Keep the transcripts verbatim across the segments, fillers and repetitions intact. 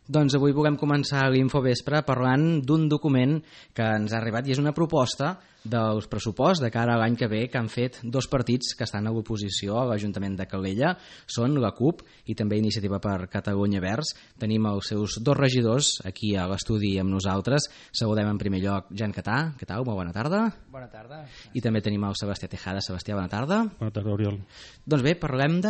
Doncs avui volem començar l'Infovespre parlant d'un document que ens ha arribat i és una proposta dels pressuposts de cara a l'any que ve que han fet dos partits que estan a l'oposició a l'Ajuntament de Calella. Són la CUP i també Iniciativa per Catalunya Verds. Tenim els seus dos regidors aquí a l'estudi amb nosaltres. Saludem en primer lloc Jan Catà. Què tal? Molt bona tarda. Bona tarda. I també tenim el Sebastià Tejada. Sebastià, bona tarda. Bona tarda, Oriol. Doncs bé, parlem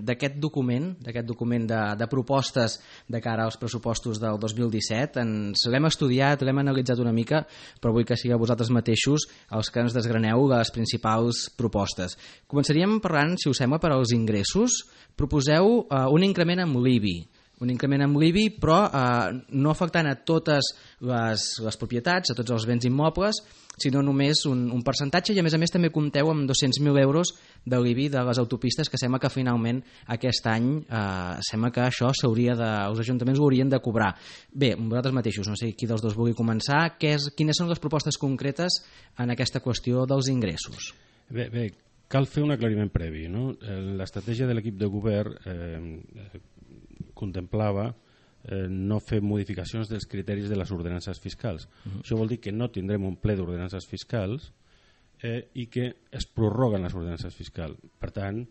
d'aquest document, d'aquest document de, de propostes de cara als pressupostos del dos mil disset. Ens l'hem estudiat, l'hem analitzat una mica, però vull que sigueu vosaltres mateixos els que ens desgraneu les principals propostes. Començaríem parlant, si us sembla, per als ingressos. Proposeu eh, un increment amb l'I B I. Un increment amb l'I B I, però eh, no afectant a totes les, les propietats, a tots els béns immobles, sinó només un, un percentatge, i a més a més també compteu amb dos-cents mil euros de l'I B I de les autopistes, que sembla que finalment aquest any eh, sembla que això s'hauria de, els ajuntaments ho haurien de cobrar. Bé, vosaltres mateixos, no sé qui dels dos vulgui començar, què és, quines són les propostes concretes en aquesta qüestió dels ingressos? Bé, bé cal fer un aclariment previ, no? L'estratègia de l'equip de govern eh, contemplava eh, no fer modificacions dels criteris de les ordenances fiscals. Uh-huh. Això vol dir que no tindrem un ple d'ordenances fiscals eh, i que es prorroguen les ordenances fiscals. Per tant,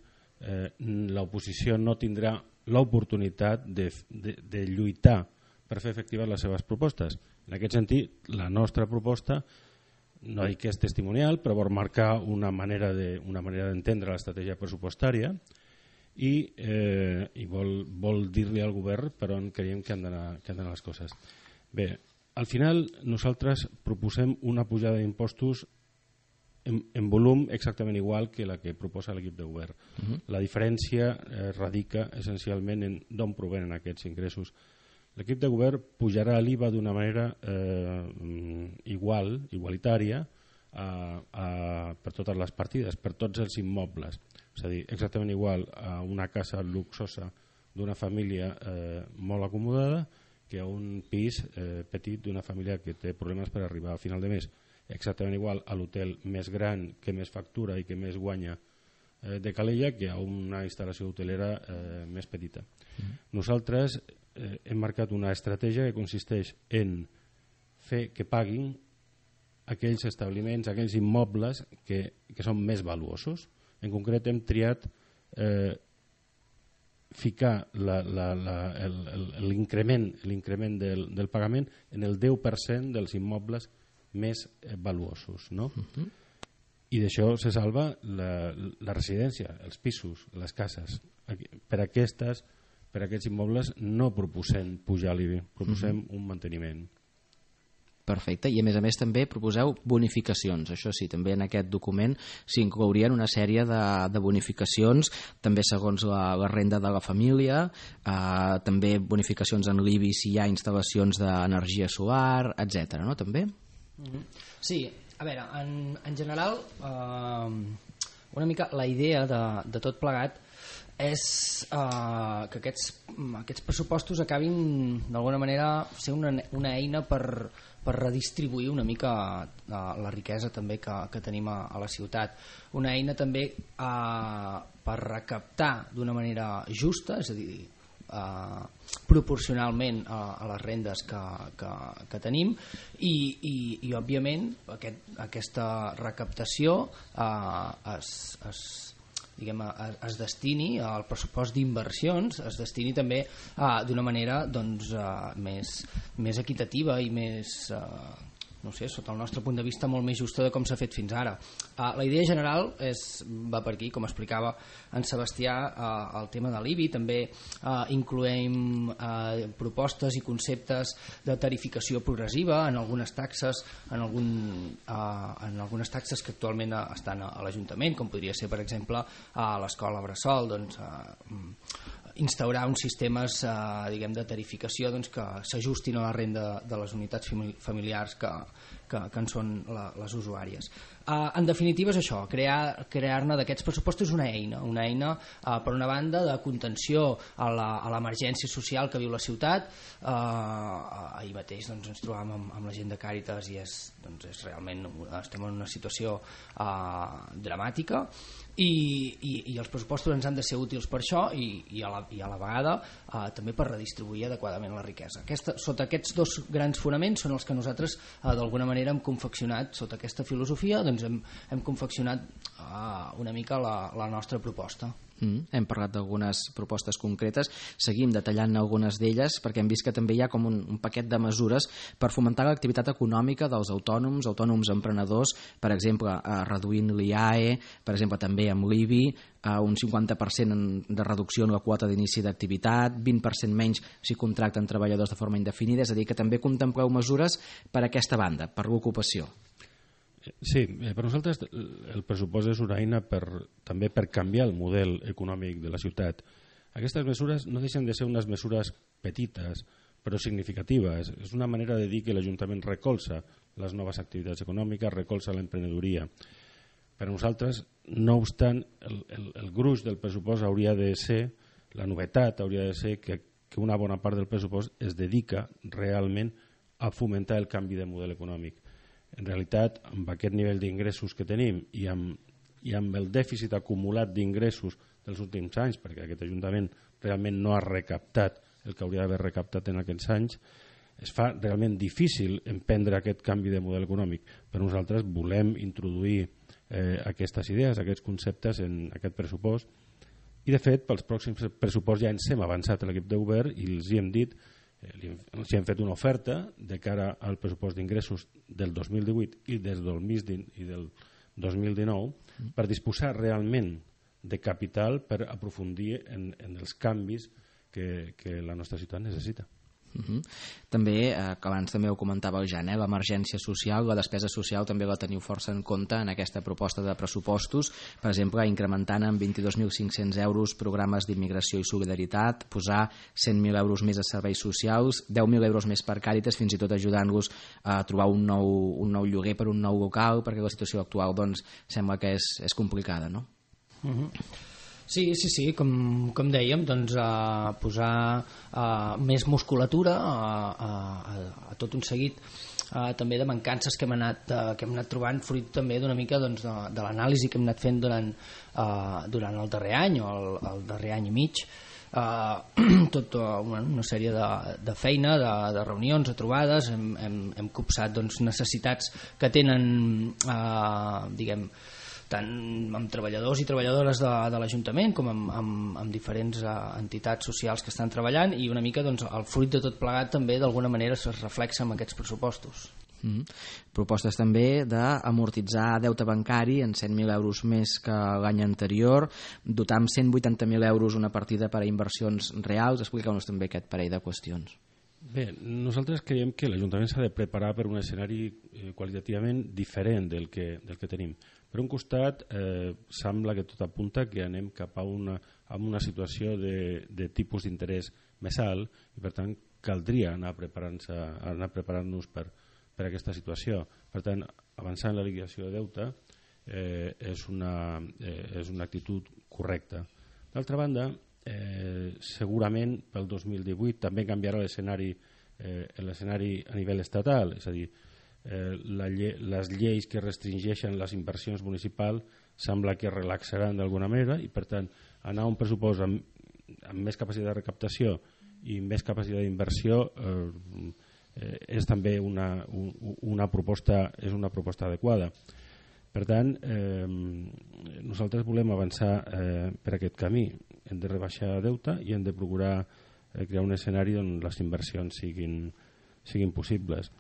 eh, l'oposició no tindrà l'oportunitat de, de, de lluitar per fer efectives les seves propostes. En aquest sentit, la nostra proposta, no dic que és testimonial, però vol marcar una manera de, una manera d'entendre l'estratègia pressupostària i, eh, i vol, vol dir-li al govern per on creiem que han d'anar que han d'anar les coses. Bé, al final nosaltres proposem una pujada d'impostos en, en volum exactament igual que la que proposa l'equip de govern. Uh-huh. La diferència eh, radica essencialment en d'on provenen aquests ingressos. L'equip de govern pujarà l'I V A d'una manera eh, igual, igualitària a, a, per totes les partides, per tots els immobles. És a dir, exactament igual a una casa luxosa d'una família eh, molt acomodada que a un pis eh, petit d'una família que té problemes per arribar a final de mes. Exactament igual a l'hotel més gran que més factura i que més guanya eh, de Calella que a una instal·lació hotelera eh, més petita. Mm. Nosaltres eh, hem marcat una estratègia que consisteix en fer que paguin aquells establiments, aquells immobles que, que són més valuosos. En concret hem triat eh, ficar la, la, la, l'increment l'increment del, del pagament en el deu per cent dels immobles més eh, valuosos, no? Uh-huh. I d'això se salva la, la residència, els pisos, les cases. Per, aquestes, per aquests immobles no proposem pujar l'I B I, proposem uh-huh. un manteniment. Perfecte, i a més a més també proposeu bonificacions. Això sí, també en aquest document s'inclourien una sèrie de, de bonificacions, també segons la, la renda de la família, eh, també bonificacions en l'I B I si hi ha instal·lacions d'energia solar, etcètera, no? També? Mm-hmm. Sí, a veure, en, en general, eh, una mica la idea de, de tot plegat és eh, que aquests, aquests pressupostos acabin d'alguna manera ser una, una eina per, per redistribuir una mica eh, la riquesa també que, que tenim a, a la ciutat, una eina també eh, per recaptar d'una manera justa, és a dir, eh, proporcionalment a, a les rendes que, que, que tenim i, i, i òbviament aquest, aquesta recaptació eh, es, es diguem, es destini al pressupost d'inversions, es destini també uh, d'una manera doncs, uh, més, més equitativa i més, uh, no sé, sota el nostre punt de vista molt més justa de com s'ha fet fins ara. Uh, la idea general és, va per aquí, com explicava en Sebastià, uh, el tema de l'I B I, també uh, incloem uh, propostes i conceptes de tarificació progressiva en algunes taxes, en, algun, uh, en algunes taxes que actualment uh, estan a, a l'Ajuntament, com podria ser, per exemple, a l'escola Bressol, doncs, uh, instaurar uns sistemes eh, diguem, de tarificació doncs, que s'ajustin a la renda de les unitats familiars que, que, que en són la, les usuàries. Uh, en definitiva és això, crear, crear-ne d'aquests pressupostos una eina, una eina uh, per una banda de contenció a l'emergència social que viu la ciutat. Uh, ahir mateix doncs, ens trobàvem amb, amb la gent de Càritas i és, doncs, és realment estem en una situació uh, dramàtica i, i, i els pressupostos ens han de ser útils per això i, i, a, la, i a la vegada uh, també per redistribuir adequadament la riquesa. Aquesta, sota aquests dos grans fonaments són els que nosaltres uh, d'alguna manera hem confeccionat sota aquesta filosofia, doncs hem, hem confeccionat uh, una mica la, la nostra proposta. Mm, hem parlat d'algunes propostes concretes, seguim detallant algunes d'elles perquè hem vist que també hi ha com un, un paquet de mesures per fomentar l'activitat econòmica dels autònoms, autònoms emprenedors, per exemple, eh, reduint l'I A E, per exemple també amb l'I B I, eh, un cinquanta per cent de reducció en la quota d'inici d'activitat, vint per cent menys si contracten treballadors de forma indefinida, és a dir, que també contempleu mesures per a aquesta banda, per l'ocupació. Sí, per nosaltres el pressupost és una eina per, també per canviar el model econòmic de la ciutat. Aquestes mesures no deixen de ser unes mesures petites però significatives. És una manera de dir que l'Ajuntament recolza les noves activitats econòmiques, recolza l'emprenedoria. Per nosaltres, no obstant, el, el, el gruix del pressupost hauria de ser, la novetat hauria de ser que, que una bona part del pressupost es dedica realment a fomentar el canvi de model econòmic. En realitat, amb aquest nivell d'ingressos que tenim i amb, i amb el dèficit acumulat d'ingressos dels últims anys, perquè aquest Ajuntament realment no ha recaptat el que hauria d'haver recaptat en aquests anys, es fa realment difícil emprendre aquest canvi de model econòmic. Però nosaltres volem introduir eh, aquestes idees, aquests conceptes en aquest pressupost i, de fet, pels pròxims pressuposts ja ens hem avançat a l'equip de govern i els hi hem dit els hem fet una oferta de cara al pressupost d'ingressos del dos mil divuit i des del dos mil dinou per disposar realment de capital per aprofundir en, en els canvis que, que la nostra ciutat necessita. Uh -huh. També, eh, que abans també ho comentava el Jan, eh, l'emergència social, la despesa social també la teniu força en compte en aquesta proposta de pressupostos, per exemple incrementant en vint-i-dos mil cinc-cents euros programes d'immigració i solidaritat, posar cent mil euros més a serveis socials, deu mil euros més per Càritas, fins i tot ajudant-los a trobar un nou, un nou lloguer per un nou local, perquè la situació actual doncs, sembla que és, és complicada, no? Uh -huh. Sí, sí, sí, com, com dèiem, doncs, a posar a, més musculatura a, a, a tot un seguit a, també de mancances que hem anat, a, que hem anat trobant fruit també d'una mica doncs, de, de l'anàlisi que hem anat fent durant, a, durant el darrer any o el, el darrer any i mig. Uh, tota una, una sèrie de, de feina, de, de reunions, de trobades, hem, hem, hem copsat doncs, necessitats que tenen, uh, diguem, tant amb treballadors i treballadores de, de l'Ajuntament com amb, amb, amb diferents uh, entitats socials que estan treballant i una mica doncs, el fruit de tot plegat també d'alguna manera es reflexa en aquests pressupostos. Mm. Propostes també d'amortitzar deute bancari en cent mil euros més que l'any anterior, dotar amb cent vuitanta mil euros una partida per a inversions reals. Expliqueu-nos també aquest parell de qüestions. Bé, nosaltres creiem que l'Ajuntament s'ha de preparar per un escenari eh, qualitativament diferent del que, del que tenim. Per un costat, eh, sembla que tot apunta que anem cap a una, a una situació de, de tipus d'interès més alt i, per tant, caldria anar preparant-nos anar preparant-nos per, per aquesta situació. Per tant, avançar en la liquidació de deute eh, és, una, eh, és una actitud correcta. D'altra banda, eh, segurament pel dos mil divuit també canviarà l'escenari eh, l'escenari a nivell estatal, és a dir, eh, la lle les lleis que restringeixen les inversions municipals sembla que relaxaran d'alguna manera i, per tant, anar a un pressupost amb, amb més capacitat de recaptació i més capacitat d'inversió eh, eh, és també una, un, una proposta és una proposta adequada. Per tant, eh, nosaltres volem avançar eh, per aquest camí. Hem de rebaixar deute i hem de procurar eh, crear un escenari on les inversions siguin, siguin possibles.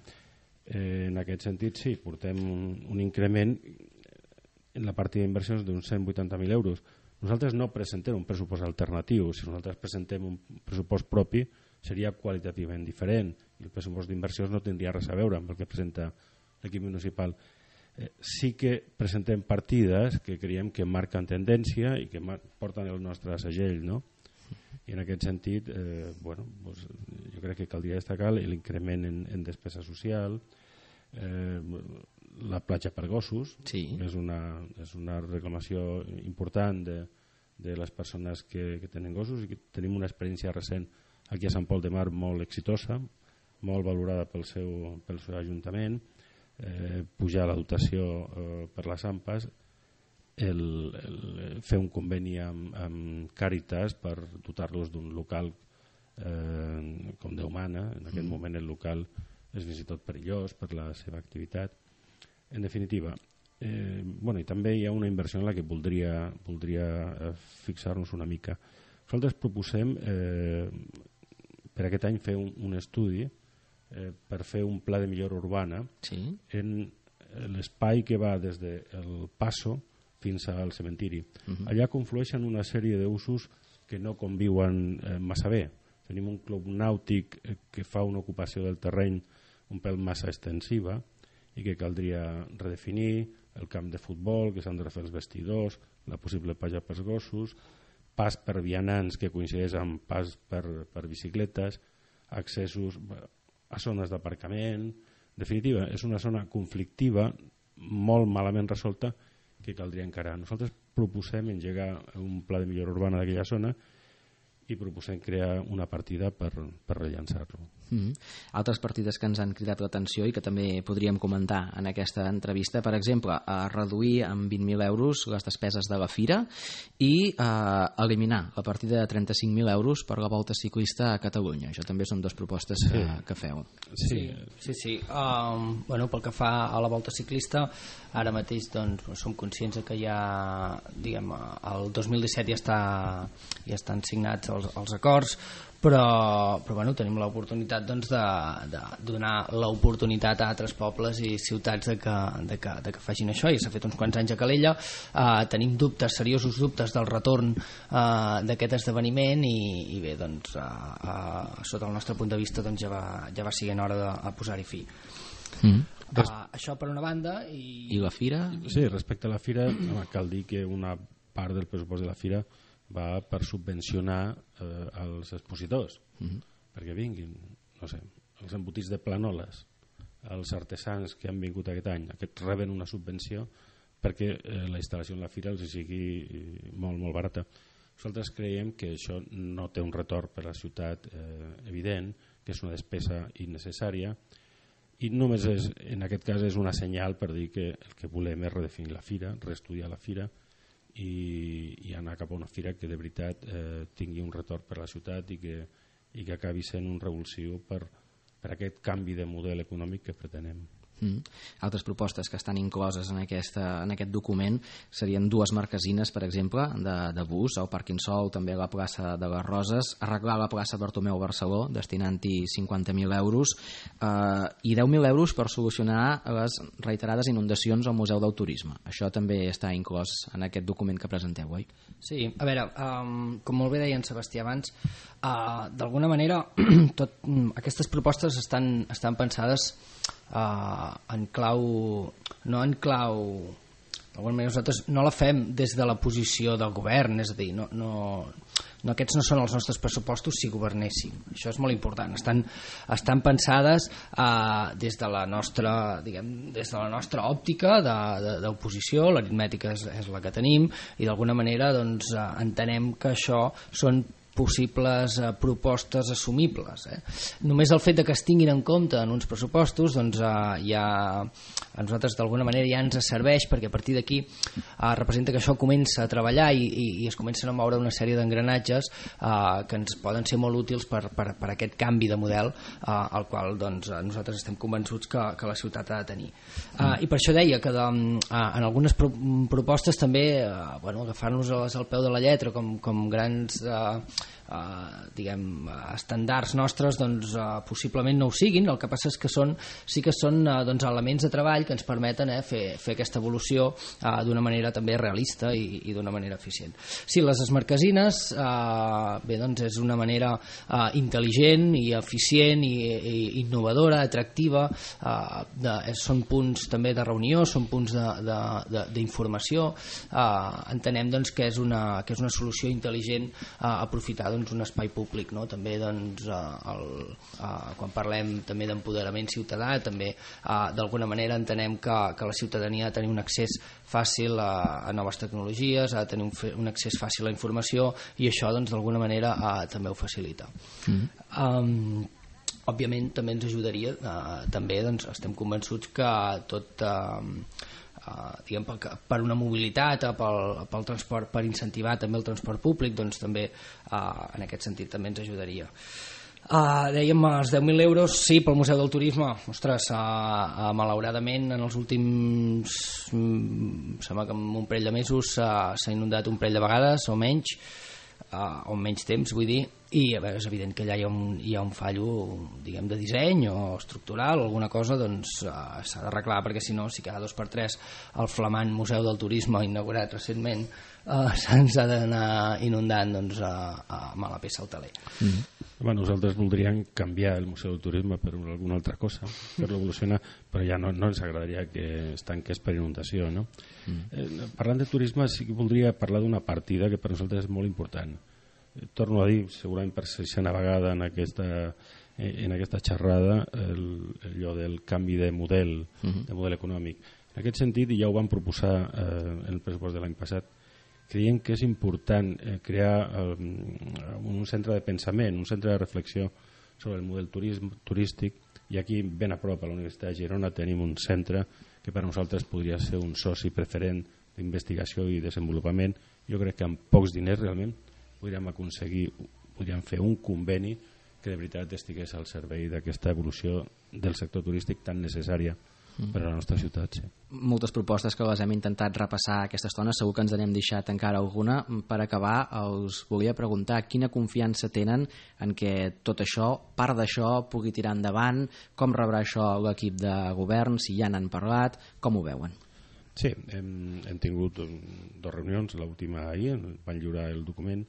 Eh, en aquest sentit, sí, portem un, un increment en la partida d'inversions d'uns cent vuitanta mil euros. Nosaltres no presentem un pressupost alternatiu. Si nosaltres presentem un pressupost propi, seria qualitativament diferent i el pressupost d'inversions no tindria res a veure amb el que presenta l'equip municipal. Eh, sí que presentem partides que creiem que marquen tendència i que porten el nostre segell, no? I en aquest sentit, eh, bueno, doncs, jo crec que caldria destacar l'increment en, en despesa social, eh, la platja per gossos, sí. és, una, és una reclamació important de, de les persones que, que tenen gossos, i que tenim una experiència recent aquí a Sant Pol de Mar molt exitosa, molt valorada pel seu, pel seu ajuntament, eh, pujar la dotació eh, per les A M P A S, el, el, fer un conveni amb, amb Càritas per dotar-los d'un local eh, com Déu mana. En aquest mm. moment el local és fins i tot perillós per la seva activitat. En definitiva, eh, bueno, i també hi ha una inversió en la que voldria, voldria fixar-nos una mica. Nosaltres proposem eh, per aquest any fer un, un estudi eh, per fer un pla de millora urbana sí. en l'espai que va des del Passo fins al cementiri. Uh-huh. Allà conflueixen una sèrie d'usos que no conviuen eh, massa bé. Tenim un club nàutic eh, que fa una ocupació del terreny un pèl massa extensiva i que caldria redefinir, el camp de futbol, que s'han de refer els vestidors, la possible platja pels gossos, pas per vianants que coincideix amb pas per, per bicicletes, accessos a zones d'aparcament. En definitiva, és una zona conflictiva molt malament resolta que caldria encarar. Nosaltres proposem engegar un pla de millora urbana d'aquella zona i proposem crear una partida per, per rellançar-lo. Mm-hmm. Altres partides que ens han cridat l'atenció i que també podríem comentar en aquesta entrevista, per exemple, a reduir en vint mil euros les despeses de la fira i a eliminar la partida de trenta-cinc mil euros per la volta ciclista a Catalunya. Això també són dues propostes sí. que, que feu. Sí, sí, sí. Um, bueno, pel que fa a la volta ciclista, ara mateix doncs, som conscients que ja, diguem, el dos mil disset ja, està, ja estan signats els, els acords, però, però bueno, tenim l'oportunitat doncs, de, de donar l'oportunitat a altres pobles i ciutats de que, de que, de que facin això, i s'ha fet uns quants anys a Calella. Uh, tenim dubtes, seriosos dubtes del retorn uh, d'aquest esdeveniment i, i bé, doncs, uh, uh, sota el nostre punt de vista doncs, ja, va, ja va siguent hora de, de posar-hi fi. Mm. Uh, això per una banda. I... I la fira? Sí, respecte a la fira, home, cal dir que una part del pressupost de la fira va per subvencionar eh, els expositors, uh-huh. perquè vinguin, no sé, els embotits de Planoles, els artesans que han vingut aquest any, aquests reben una subvenció perquè eh, la instal·lació en la fira els sigui molt, molt barata. Nosaltres creiem que això no té un retorn per a la ciutat eh, evident, que és una despesa innecessària, i només és, en aquest cas és una senyal per dir que el que volem és redefinir la fira, reestudiar la fira, i, i anar cap a una fira que de veritat eh, tingui un retorn per a la ciutat i que, i que acabi sent un revulsiu per, per aquest canvi de model econòmic que pretenem. Mm. Altres propostes que estan incloses en, aquesta, en aquest document serien dues marquesines, per exemple, de, de bus al Parc Insol, també a la plaça de les Roses, arreglar la plaça Bartomeu Barceló destinant-hi cinquanta mil euros eh, i deu mil euros per solucionar les reiterades inundacions al Museu del Turisme. Això també està inclòs en aquest document que presenteu, oi? Sí, a veure, um, com molt bé deia en Sebastià abans, uh, d'alguna manera tot, um, aquestes propostes estan, estan pensades Uh, en clau, no en clau, d'alguna manera nosaltres no la fem des de la posició del govern, és a dir, no, no, no, aquests no són els nostres pressupostos si governéssim, això és molt important, estan, estan pensades uh, des de la nostra, diguem, des de la nostra òptica d'oposició, l'aritmètica és, és la que tenim i d'alguna manera doncs, uh, entenem que això són possibles eh, propostes assumibles. Eh? Només el fet de que es tinguin en compte en uns pressupostos doncs, eh, ja, a nosaltres d'alguna manera ja ens serveix perquè a partir d'aquí eh, representa que això comença a treballar i, i, i es comencen a moure una sèrie d'engranatges eh, que ens poden ser molt útils per, per, per aquest canvi de model eh, al qual doncs, nosaltres estem convençuts que, que la ciutat ha de tenir. Eh, I per això deia que de, eh, en algunes pro propostes també eh, bueno, agafar-nos al peu de la lletra com, com grans eh, Uh, diguem, estàndards nostres doncs, uh, possiblement no ho siguin, el que passa és que són, sí que són uh, doncs, elements de treball que ens permeten eh, fer, fer aquesta evolució uh, d'una manera també realista i, i d'una manera eficient. Sí, les esmarquesines uh, bé, doncs és una manera uh, intel·ligent i eficient i, i innovadora, atractiva, uh, de, són punts també de reunió, són punts d'informació, uh, entenem doncs, que, és una, que és una solució intel·ligent uh, aprofitar doncs, un espai públic, no? També doncs, el, eh, quan parlem també d'empoderament ciutadà, també eh, d'alguna manera entenem que, que la ciutadania ha de tenir un accés fàcil a, a noves tecnologies, ha de tenir un, un accés fàcil a la informació, i això doncs, d'alguna manera eh, també ho facilita. Mm. Um, òbviament també ens ajudaria, eh, també doncs, estem convençuts que tot eh, Uh, diguem, per, per una mobilitat, uh, pel, pel transport, per incentivar també el transport públic, doncs també uh, en aquest sentit també ens ajudaria. Uh, dèiem els deu mil euros, sí, pel Museu del Turisme. Ostres, uh, uh, malauradament en els últims mm, sembla que en un parell de mesos uh, s'ha inundat un parell de vegades o menys, uh, o menys temps vull dir, i a veure, és evident que allà hi ha un, hi ha un fallo, diguem, de disseny o estructural o alguna cosa, doncs uh, s'ha d'arreglar, perquè si no, si cada dos per tres el flamant Museu del Turisme inaugurat recentment uh, se'ns ha d'anar inundant, doncs uh, uh, mala peça al teler. Mm-hmm. Bueno, nosaltres voldríem canviar el Museu del Turisme per alguna altra cosa, fer-lo evolucionar, però ja no, no ens agradaria que es tanqués per inundació, no? Mm. Eh, parlant de turisme, sí que voldria parlar d'una partida que per nosaltres és molt important. Torno a dir, segurament per sisena vegada en aquesta, en aquesta xerrada, el, allò del canvi de model, uh-huh. de model econòmic. En aquest sentit, i ja ho vam proposar eh, en el pressupost de l'any passat, creiem que és important eh, crear eh, un centre de pensament, un centre de reflexió sobre el model turisme, turístic, i aquí ben a prop a la Universitat de Girona tenim un centre que per nosaltres podria ser un soci preferent d'investigació i desenvolupament. Jo crec que amb pocs diners realment podríem aconseguir, podríem fer un conveni que de veritat estigués al servei d'aquesta evolució del sector turístic tan necessària mm. per a la nostra ciutat. Sí. Moltes propostes que les hem intentat repassar aquesta estona, segur que ens n'hem deixat encara alguna. Per acabar, us volia preguntar quina confiança tenen en que tot això, part d'això, pugui tirar endavant, com rebrà això l'equip de govern, si ja n'han parlat, com ho veuen? Sí, hem, hem tingut dues reunions, l'última ahir, van lliurar el document.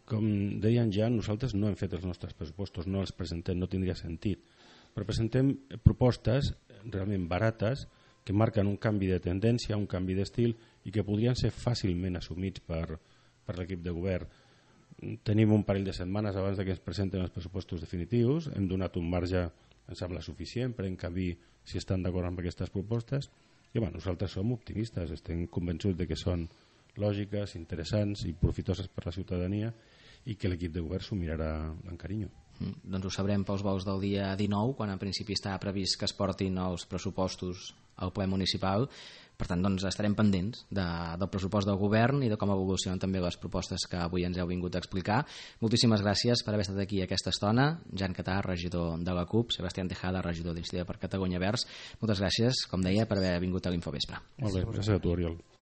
Com deien ja, nosaltres no hem fet els nostres pressupostos, no els presentem, no tindria sentit, però presentem propostes realment barates que marquen un canvi de tendència, un canvi d'estil i que podrien ser fàcilment assumits per, per l'equip de govern. Tenim un parell de setmanes abans que ens presenten els pressupostos definitius, hem donat un marge, em sembla suficient, per encabir si estan d'acord amb aquestes propostes. I bueno, nosaltres som optimistes, estem convençuts de que són lògiques, interessants i profitoses per la ciutadania i que l'equip de govern s'ho mirarà amb carinyo. Mm, doncs ho sabrem pels vols del dia dinou, quan en principi està previst que es portin els pressupostos al ple municipal. Per tant, doncs, estarem pendents de, del pressupost del govern i de com evolucionen també les propostes que avui ens heu vingut a explicar. Moltíssimes gràcies per haver estat aquí aquesta estona. Jan Catà, regidor de la CUP, Sebastián Tejada, regidor d'Iniciativa per Catalunya Verds. Moltes gràcies, com deia, per haver vingut a l'Infovespre. Molt bé, gràcies a tu, Oriol.